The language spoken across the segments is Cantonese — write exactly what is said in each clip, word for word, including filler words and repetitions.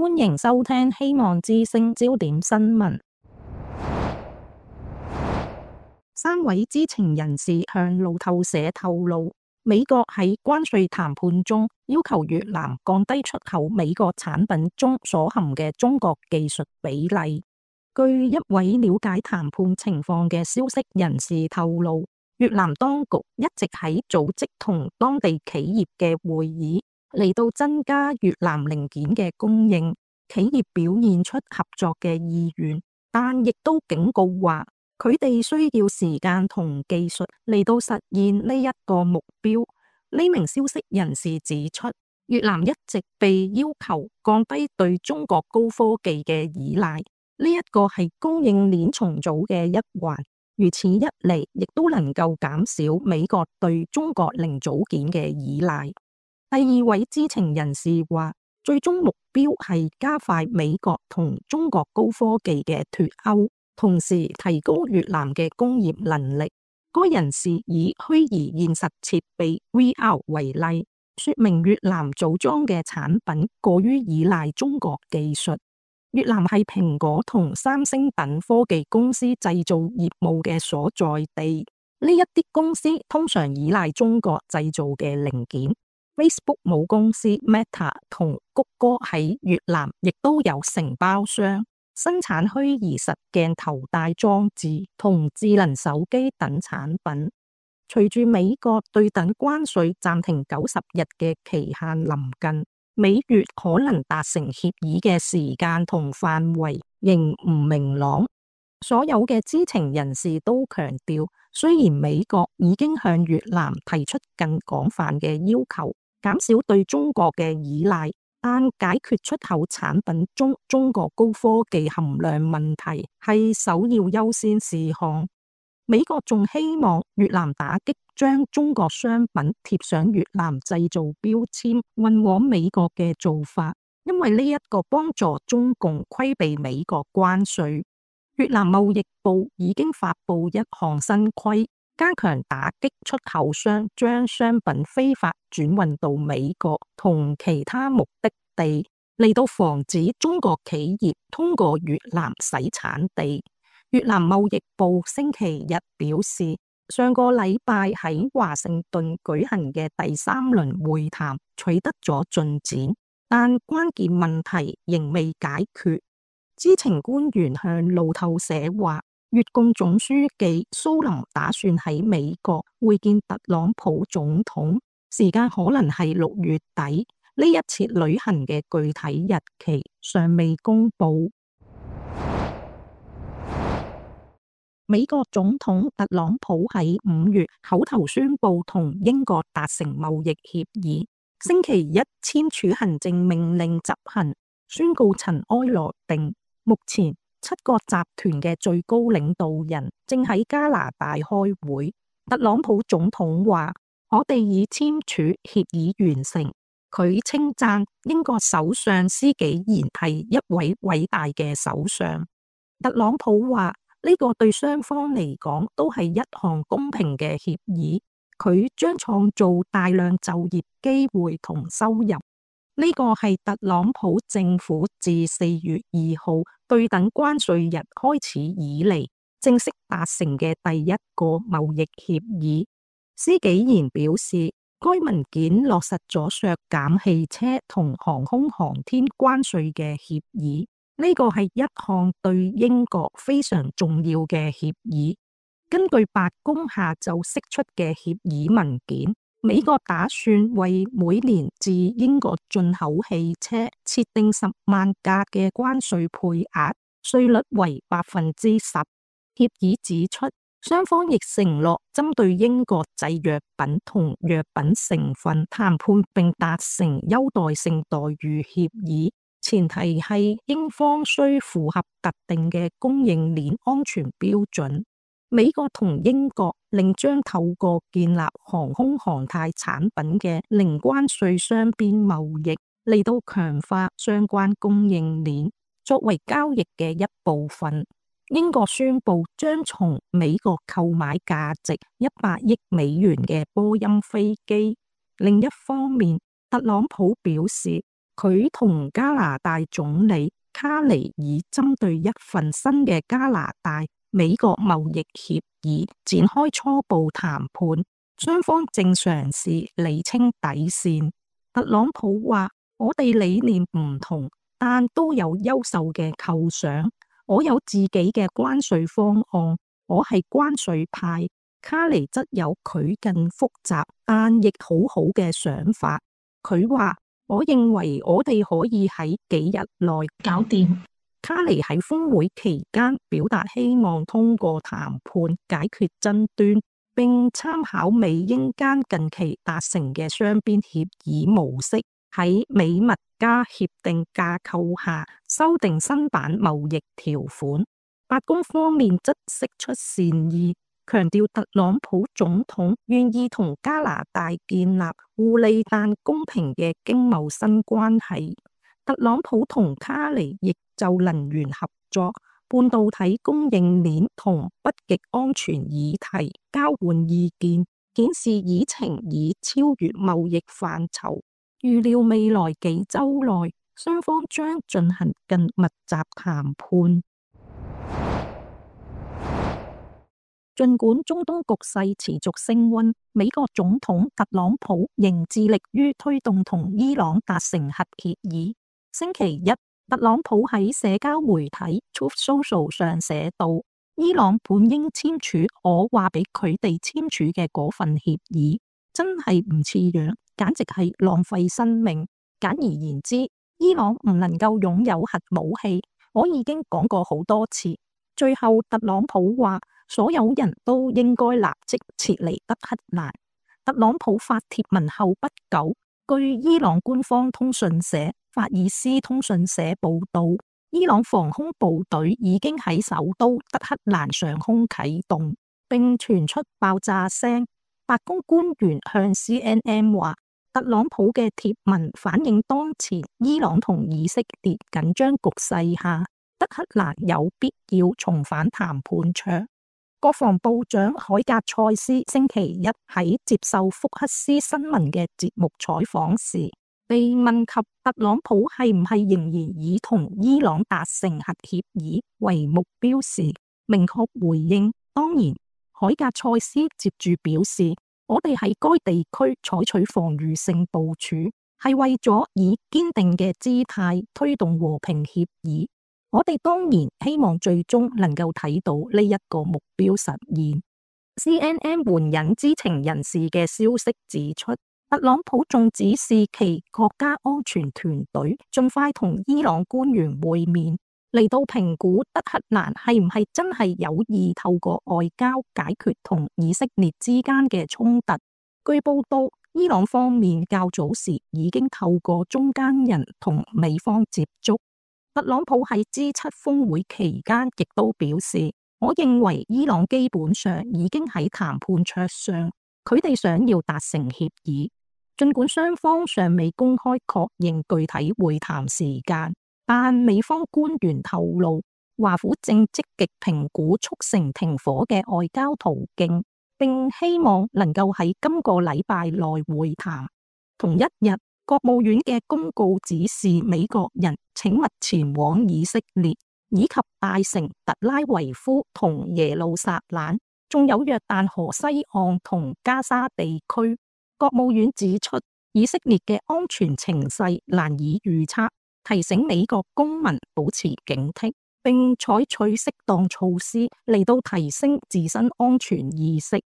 歡迎收聽希望之聲焦點新聞。三位知情人士向路透社透露，美國喺關稅談判中要求越南降低出口美國產品中所含嘅中國技術比例。據一位了解談判情況嘅消息人士透露，越南當局一直喺組織同當地企業嘅會議，嚟到增加越南零件嘅供應。企業表現出合作嘅意願，但亦都警告話，佢哋需要時間同技術嚟到實現呢一個目標。呢名消息人士指出，越南一直被要求降低對中國高科技嘅依賴，呢一個係供應鏈重組嘅一環。如此一嚟，亦都能夠減少美國對中國零組件嘅依賴。第二位知情人士話，最終目標係加快美國同中國高科技嘅脫鈎，同時提高越南嘅工業能力。該人士以虛擬現實設備 V R 為例，說明越南組裝嘅產品過於依賴中國技術。越南係蘋果同三星等科技公司製造業務嘅所在地，呢一啲公司通常依賴中國製造嘅零件。Facebook 母公司 Meta 同谷歌喺越南亦都有承包商，生產虛擬實鏡頭戴裝置同智能手機等產品。隨住美國對等關稅暫停九十日嘅期限臨近，美越可能達成協議嘅時間同範圍仍唔明朗。所有嘅知情人士都強調，雖然美國已經向越南提出更廣泛嘅要求，減少對中國嘅依賴，但解決出口產品中中國高科技含量問題係首要優先事項。美國仲希望越南打擊將中國商品貼上越南製造標籤運往美國嘅做法，因為呢一個幫助中共規避美國關稅。越南貿易部已經發布一項新規，加強打擊出口商將商品非法轉運到美國同其他目的地，嚟到防止中國企業通過越南洗產地。越南貿易部星期日表示，上個禮拜喺華盛頓舉行嘅第三輪會談取得咗進展，但關鍵問題仍未解決。知情官員向路透社話，越共總書記蘇林打算喺美國會見特朗普總統，時間可能係六月底。呢一次旅行嘅具體日期尚未公布。美國總統特朗普喺五月口頭宣布同英國達成貿易協議，星期一簽署行政命令執行，宣告塵埃落定。目前七個集團嘅最高領導人正喺加拿大開會。特朗普總統話：我哋已簽署協議完成。佢稱讚英國首相施紀賢係一位偉大嘅首相。特朗普話：呢個對雙方嚟講都係一項公平嘅協議，佢將創造大量就業機會同收入。呢個係特朗普政府自四月二號對等關稅日開始以嚟正式達成嘅第一個貿易協議。施紀賢表示，該文件落實咗削減汽車同航空航天關稅嘅協議。呢個係一項對英國非常重要嘅協議。根據白宮下晝釋出嘅協議文件，美國打算為每年自英國進口汽車設定十萬架嘅關稅配額，稅率為百分之十。協議指出，雙方亦承諾針對英國製藥品同藥品成分談判，並達成優待性待遇協議。前提係英方需符合特定嘅供應鏈安全標準。美國同英國另將透過建立航空航太產品嘅零關稅雙邊貿易，嚟到強化相關供應鏈，作為交易嘅一部分。英國宣布將從美國購買價值一百億美元嘅波音飛機。另一方面，特朗普表示，佢同加拿大總理卡尼以針對一份新嘅加拿大美國貿易協議展開初步談判，雙方正嘗試釐清底線。特朗普話：我哋理念唔同，但都有優秀嘅構想。我有自己嘅關稅方案，我係關稅派。卡尼則有佢更複雜但亦好好嘅想法。佢話：我認為我哋可以喺幾日內搞掂。卡尼喺峰會期間表達希望通過談判解決爭端，並參考美英間近期達成嘅雙邊協議模式，喺美墨加協定架構下修訂新版貿易條款。白宮方面則釋出善意，強調特朗普總統願意同加拿大建立互利但公平嘅經貿新關係。特朗普同卡尼亦就能源合作、半導體供應鏈同北極安全議題交換意見，顯示議程已超越貿易範疇。預料未來幾週內，雙方將進行更密集談判。儘管中東局勢持續升溫，美國總統特朗普仍致力於推動同伊朗達成核協議。星期一，特朗普喺社交媒體 Truth Social 上寫道：伊朗本應簽署我話俾佢哋簽署嘅嗰份協議，真係唔似樣，簡直係浪費生命。簡而言之，伊朗唔能夠擁有核武器，我已經講過好多次。最後，特朗普話所有人都應該立即撤離德黑蘭。特朗普發帖文後不久，據伊朗官方通訊社法爾斯通訊社報道，伊朗防空部隊已經喺首都德黑蘭上空啟動，並傳出爆炸聲。白宮官員向 C N N 話，特朗普嘅貼文反映當前伊朗同以色列緊張局勢下，德黑蘭有必要重返談判桌。國防部長海格塞斯星期一喺接受福克斯新聞嘅節目採訪時，被問及特朗普係唔係仍然以同伊朗達成核協議為目標時，明確回應：當然。海格塞斯接住表示：我哋喺該地區採取防禦性部署，係為咗以堅定嘅姿態推動和平協議。我哋當然希望最終能夠睇到呢一個目標實現。C N N 援引知情人士嘅消息指出，特朗普仲指示其國家安全團隊盡快同伊朗官員會面，嚟到評估德黑蘭係唔係真係有意透過外交解決同以色列之間嘅衝突。據報道，伊朗方面較早時已經透過中間人同美方接觸。特朗普喺 G 七 峰會期間亦都表示，我認為伊朗基本上已經喺談判桌上，佢哋想要達成協議。儘管雙方尚未公開確認具體會談時間，但美方官員透露，華府正積極評估促成停火嘅外交途徑，並希望能夠喺今個禮拜內會談。同一日，國務院嘅公告指示美國人請勿前往以色列，以及大城特拉維夫同耶路撒冷，仲有約旦河西岸同加沙地區。國務院指出，以色列嘅安全情勢難以預測，提醒美國公民保持警惕，並採取適當措施嚟到提升自身安全意識。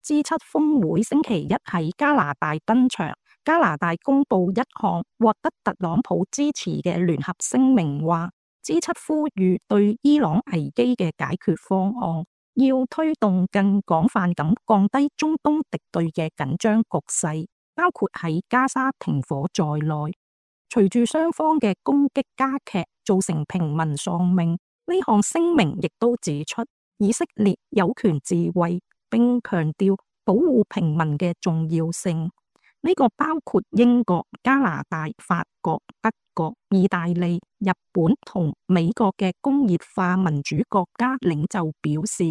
G 七 峰會星期一喺加拿大登場，加拿大公布一項獲得特朗普支持嘅聯合聲明，話 G 七 呼籲對伊朗危機嘅解決方案，要推動更廣泛咁降低中東敵對嘅緊張局勢，包括喺加沙停火在內。隨住雙方嘅攻擊加劇，造成平民喪命，呢項聲明亦都指出以色列有權自衛，並強調保護平民嘅重要性。呢個包括英國、加拿大、法國、德國、意大利、日本同美國嘅工業化民主國家領袖表示，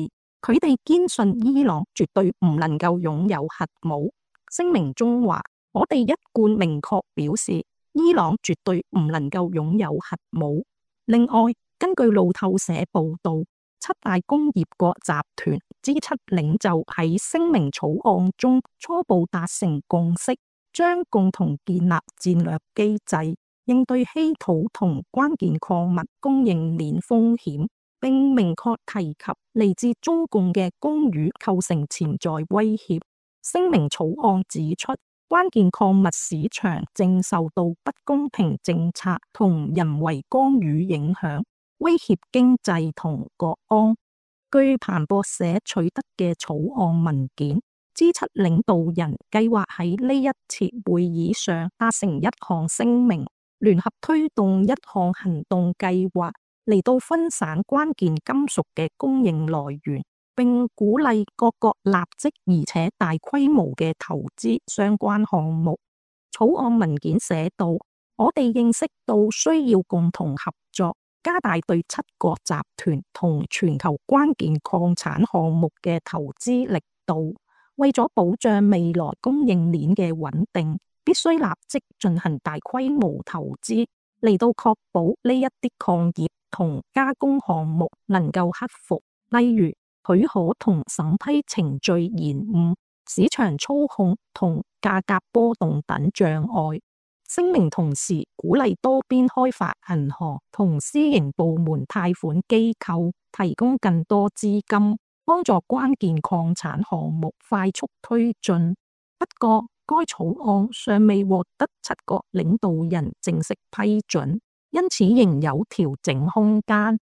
佢哋堅信伊朗絕對唔能夠擁有核武。聲明中話，我哋一貫明確表示，伊朗絕對唔能夠擁有核武。另外，根據路透社報道，七大工業國集團 G 七領袖喺聲明草案中初步達成共識，將共同建立戰略機制，應對稀土同關鍵礦物供應鏈風險，並明確提及嚟自中共嘅干預構成潛在威脅。聲明草案指出，關鍵礦物市場正受到不公平政策同人為干預影響，威脅經濟同國安。據彭博社取得嘅草案文件， G 七領導人計劃喺呢一次會議上達成一項聲明，聯合推動一項行動計劃嚟到分散關鍵金屬嘅供應來源，並鼓勵各國立即而且大規模嘅投資相關項目。草案文件寫道：我哋認識到需要共同合作，加大對七國集團同全球關鍵礦產項目嘅投資力度。為咗保障未來供應鏈嘅穩定，必須立即進行大規模投資，嚟到確保呢一啲礦業同加工項目能夠克服，例如許可同審批程序延誤、市場操控同價格波動等障礙。聲明同時鼓勵多邊開發銀行同私營部門貸款機構提供更多資金，幫助關鍵礦產項目快速推進。不過，該草案尚未獲得七國領導人正式批准，因此仍有調整空間。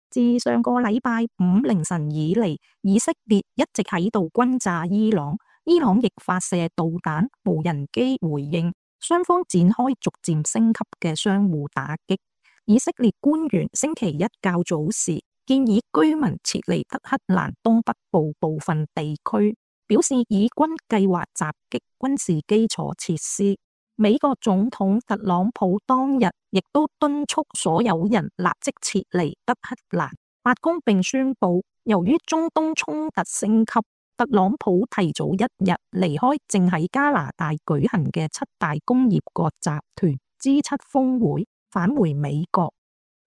自上個禮拜五凌晨以嚟，以色列一直喺度轟炸伊朗，伊朗亦發射導彈、無人機回應，雙方展開逐漸升級嘅相互打擊。以色列官員星期一較早時建議居民撤離德黑蘭東北部部分地區，表示以軍計劃襲擊軍事基礎設施。美國總統特朗普當日亦都敦促所有人立即撤離德黑蘭。白宮並宣布，由於中東衝突升級，特朗普提早一日離開正喺加拿大舉行嘅七大工業國集團 G 七峰會，返回美國。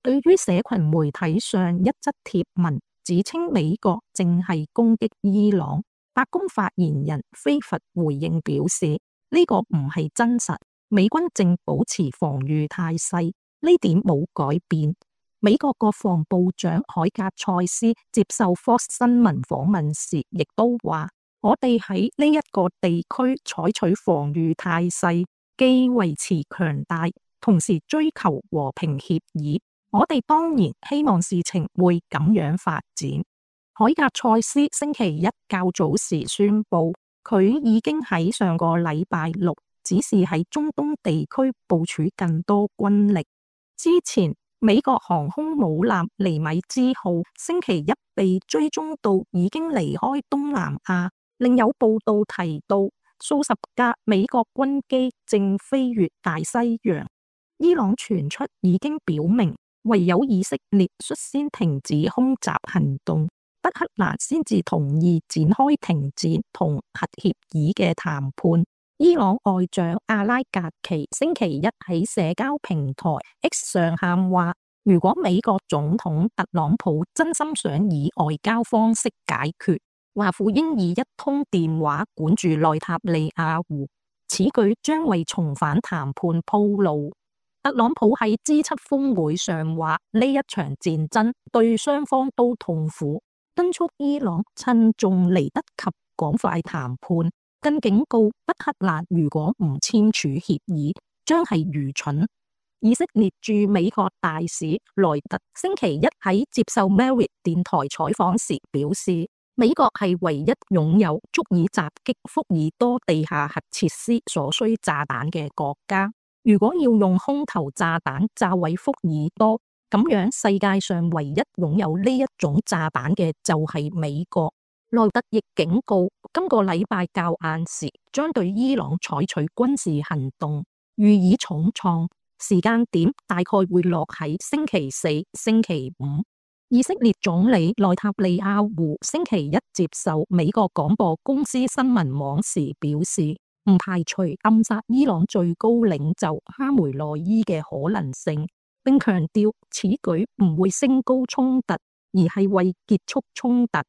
對於社群媒體上一則貼文指稱美國正係攻擊伊朗，白宮發言人菲佛回應表示，呢個唔係真實，美軍正保持防禦態勢，呢點冇改變。美國國防部長海格塞斯接受 Fox 新聞訪問時，亦都話：我哋喺呢一個地區採取防禦態勢，既維持強大，同時追求和平協議。我哋當然希望事情會咁樣發展。海格塞斯星期一較早時宣布，佢已經喺上個禮拜六指示喺中東地區部署更多軍力。之前美國航空母艦尼米茲號星期一被追蹤到已經離開東南亞，另有報道提到數十架美國軍機正飛越大西洋。伊朗傳出已經表明，唯有以色列率先停止空襲行動，德黑蘭先至同意展開停戰同核協議嘅談判。伊朗外長阿拉格奇星期一喺社交平台 X 上喊話，如果美國總統特朗普真心想以外交方式解決，華府應以一通電話管住內塔尼亞胡，此舉將為重返談判鋪路。特朗普喺 G 七峰會上話，呢一場戰爭對雙方都痛苦，敦促伊朗趁仲嚟得及趕快談判。更警告德黑蘭，如果唔簽署協議，將係愚蠢。以色列駐美國大使萊特星期一喺接受 Merit 電台採訪時表示，美國係唯一擁有足以襲擊福爾多地下核設施所需炸彈嘅國家。如果要用空投炸彈炸毀福爾多，咁樣世界上唯一擁有呢一種炸彈嘅就係美國。萊特亦警告，今個禮拜較晏時將對伊朗採取軍事行動，予以重創，時間點大概會落喺星期四、星期五。以色列總理內塔尼亞胡星期一接受美國廣播公司新聞網時表示，唔排除暗殺伊朗最高領袖哈梅內伊嘅可能性，並強調此舉唔會升高衝突，而係為結束衝突